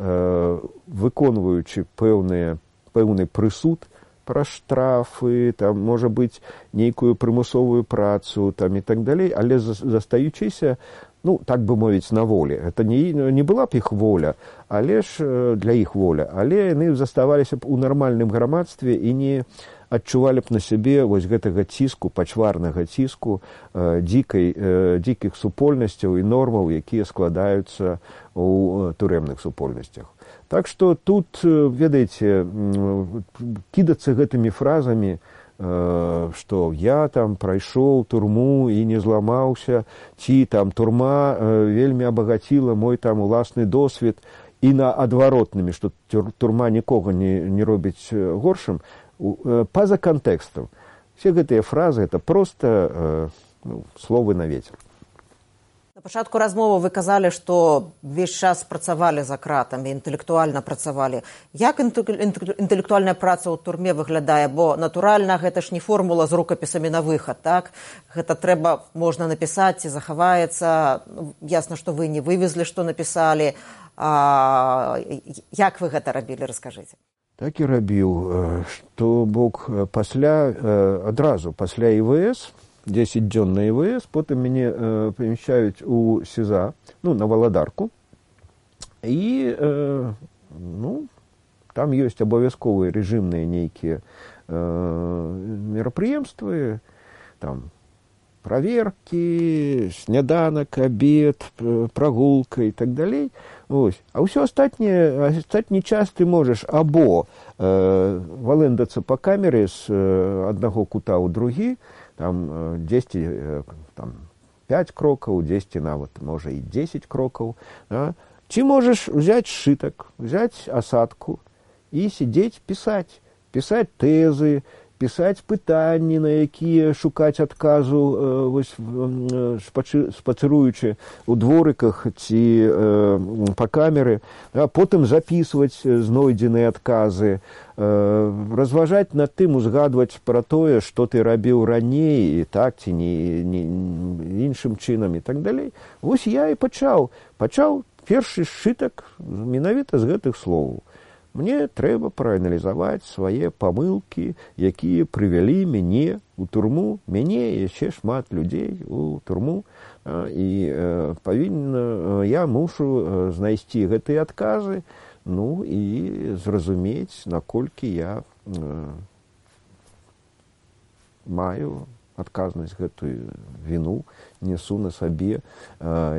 выконваючы пэўны прысуд пра штрафы, можа быць, нейкую прымусовую працу і так далей, але застаючыся, так бы мовіць, на волі. Это не была б іх воля, але ж для іх воля, але яны заставаліся б у нармальным грамадстве і не адчувалі б на сябе вось гэтага ціску, пачварнага ціску, дзікіх супольнасцяў і нормаў, якія складаюцца ў турэмных супольнасцях. Так што тут, ведаеце, кідацца гэтымі фразамі, што я прайшоў турму і не зламаўся, ці турма вельмі абагаціла мой уласны досвед, і на адваротнымі, што турма нікога не робіць горшым, па-за кантэкстам. Все гэтыя фразы — это проста словы на ветер. На пачатку размовы вы казалі, што ўвесь час працавалі за кратамі, інтэлектуальна працавалі. Як інтэлектуальная праца ў турме выглядае? Бо, натуральна, гэта ж не формула з рукапісамі на выхад, так? Гэта можна напісаць, ці захаваецца. Ясна, што вы не вывезлі, што напісалі. Як вы гэта рабілі, раскажыце? Так і рабіў, што бок адразу пасля ІВС, 10 дзён на ІВС, потым мяне памяшчаюць у СІЗА, на Валадарку, і там ёсць абавязковыя рэжымныя нейкія мерапрыемствы, праверкі, сняданак, абед, прагулка і так далей. А ўсё астатні час ты можаш або валэндацца па камеры з аднаго кута ў другі, 10, 5 крокаў, 10 нават, можа, і 10 крокаў. Ці можаш взяць сшытак, взяць асадку і сидзець пісаць тэзы, пісаць пытанні, на якія шукаць адказу, спацыруючы ў дворыках ці па камеры, потым запісваць знойдзеныя адказы, разважаць над тым, узгадваць пра тое, што ты рабіў раней, і так ці не іншым чынам і так далей. Вось я і пачаў першы сшытак менавіта з гэтых словаў. Мне трэба прааналізаваць свае памылкі, якія прывялі мяне ў турму, мяне і яшчэ шмат людзей у турму, і я мушу знайсці гэтыя адказы, ну і зразумець, наколькі я маю адказнасць, гэтую віну несу на сабе,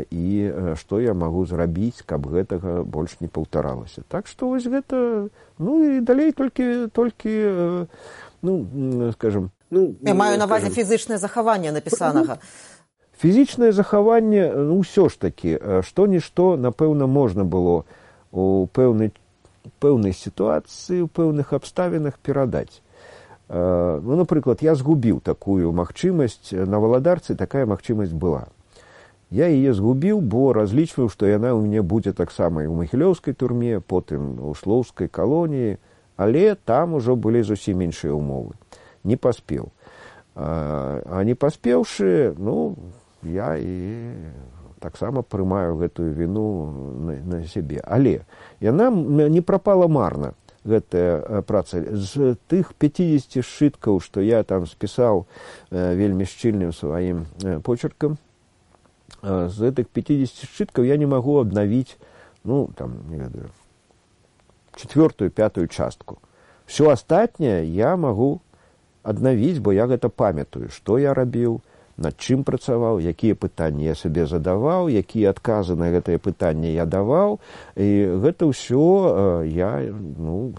і што я магу зрабіць, каб гэтага больш не паўтаралася. Так што вось гэта, ну і далей толькі скажем... Я маю на ўвазе фізічнае захаванне напісанага. Фізічнае захаванне, ўсё ж такі, што-нішто, напэўна, можна было у пэўнай сітуацыі, у пэўных абставінах перадаць. Ну, напрыклад, я згубіў такую магчымасць, на Валадарцы такая магчымасць была. Я яе згубіў, бо разлічваў, што яна ў мяне будзе таксама і ў Магілёўскай турме, потым у Шлоўскай калоніі, але там ужо былі зусім іншыя ўмовы. Не паспеў. А не паспеўшы, ну, я і таксама прымаю гэтую віну на сябе. Але яна не прапала марна. Гэтая праца. З тых 50 сшыткаў, што я там спісаў вельмі шчыльным сваім почеркам, з гэтых 50 сшыткаў я не магу абнавіць, ну, там, не ведаю, 4-ю, 5-ю частку. Всё астатняе я магу аднавіць, бо я гэта памятаю, што я рабіў, над чым працаваў, якія пытанні я сабе задаваў, якія адказы на гэтыя пытанні я даваў, і гэта ўсё я, ну,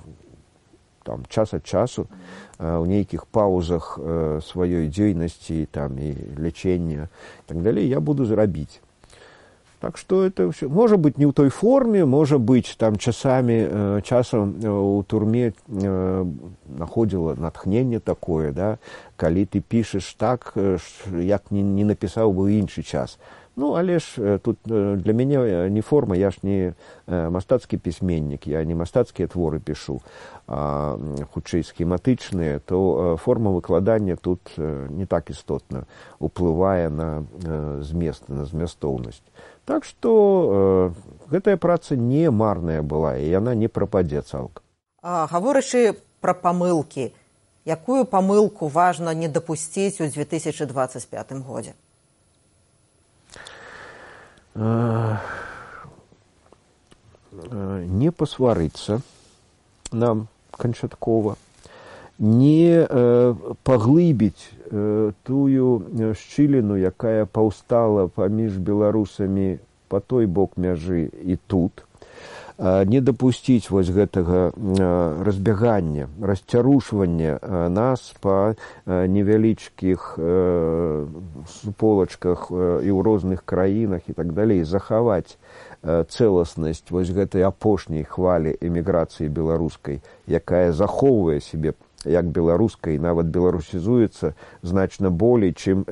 там, час ад часу у нейкіх паузах сваёй дзейнасці, там, і лячэння, і так далей, я буду зрабіць. Так што это ўсё, можа быць, не ў той форме, можа быць, там, часам у турме находзіла натхненне такое, да, калі ты пішаш так, як не напісаў бы ў іншы час. Ну, але ж тут для мяне не форма, я ж не мастацкі пісьменнік, я не мастацкія творы пішу, а хутчэй схематычныя, то форма выкладання тут не так істотна уплывае на змест, на змястоўнасць. Так што гэтая праца не марная была, і яна не прападзе цалкам. Гаворачы пра памылкі, якую памылку важна не дапусціць у 2025 годзе? Не пасварыцца нам канчаткова, не паглыбіць тую шчыліну, якая паўстала паміж беларусамі па той бок мяжы і тут, не дапусціць вось гэтага разбягання, расцярушвання нас па невялічкіх суполачках і ў розных краінах і так далей, захаваць цэласнасць вось гэтай апошняй хвалі эміграцыі беларускай, якая захоўвае сябе як беларускай, нават беларусізуецца значна болей, чым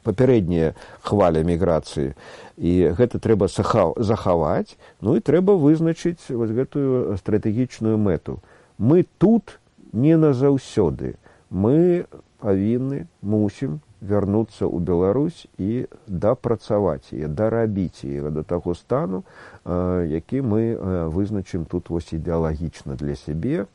папярэдняя хваля міграцыі. І гэта трэба захаваць, ну і трэба вызначыць вось гэтую стратэгічную мэту. Мы тут не назаўсёды. Мы павінны, мусім вярнуцца ў Беларусь і дапрацаваць яе, дарабіць яе да таго стану, які мы вызначым тут вось ідэалагічна для сябе,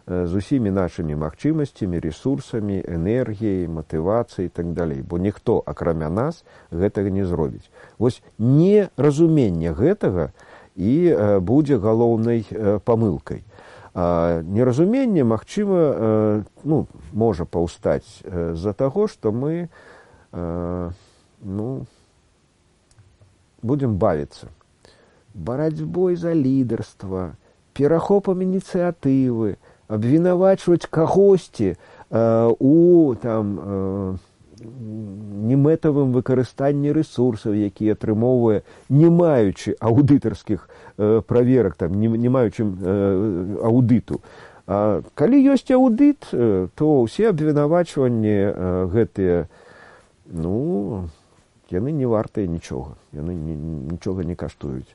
з усімі нашымі магчымасцямі, ресурсамі, энергіяй, матывацыяй і так далей. Бо ніхто, акрамя нас, гэтага не зробіць. Вось неразуменне гэтага і будзе галоўнай памылкай. Неразуменне, магчыма, ну, можа паўстаць з-за таго, што мы будзем бавіцца барацьбой за лідарства, перахопам ініцыятывы, абвінавачваць кагосьці у немэтавым выкарыстанні рэсурсаў, які атрымоўвае, не маючы аўдытарскіх праверак, не маючы аўдыту. А калі ёсць аўдыт, то ўсе абвінавачванні гэтыя, яны не вартыя нічога, яны нічога не каштуюць.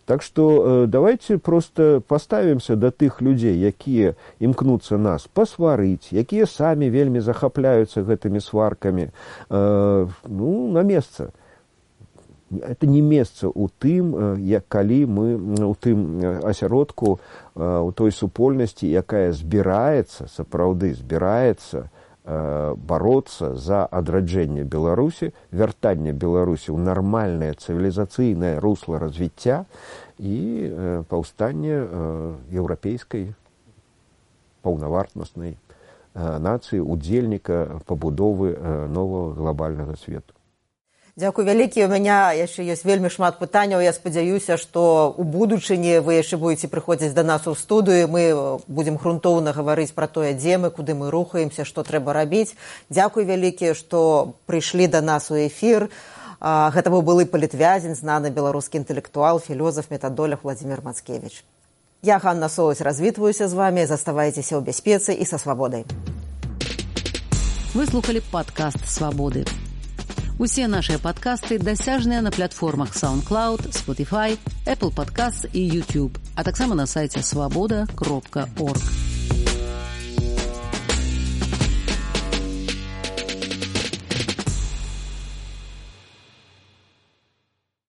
Так што давайте просто поставімся да тых людзей, якія імкнуцца нас пасварыць, якія самі вельмі захапляюцца гэтымі сваркамі, на месца. Это не месца ў тым, калі мы у тым асяродку, у той супольнасці, якая сапраўды збіраецца бороться за адраджэнне Беларусі, вяртанне Беларусі ў нармальнае цывілізацыйнае русло развіцця і паўстанне еўрапейскай паўнавартаснай нацыі, удзельніка пабудовы новага глобальнага свету. Дзякуй вялікі. У мяне яшчэ ёсць вельмі шмат пытанняў. Я спадзяюся, што ў будучыні вы яшчэ будзеце прыходзіць да нас у студыю. Мы будзем грунтоўна гаварыць пра тое, дзе мы, куды мы рухаемся, што трэба рабіць. Дзякуй вялікі, што прыйшлі да нас у эфір. Гэта быў былы палітвязень, знаны беларускі інтэлектуал, філёзаф, метадолог Владзімір Мацкевіч. Я, Ганна Соўць, развітваюся з вамі. Заставайцеся ў бяспецы і са свабодай. Вы слухали падкаст «Свабоды». Усе наши падкасты дасяжныя на платформах SoundCloud, Spotify, Apple Podcasts і YouTube, а таксама на сайце swaboda.org.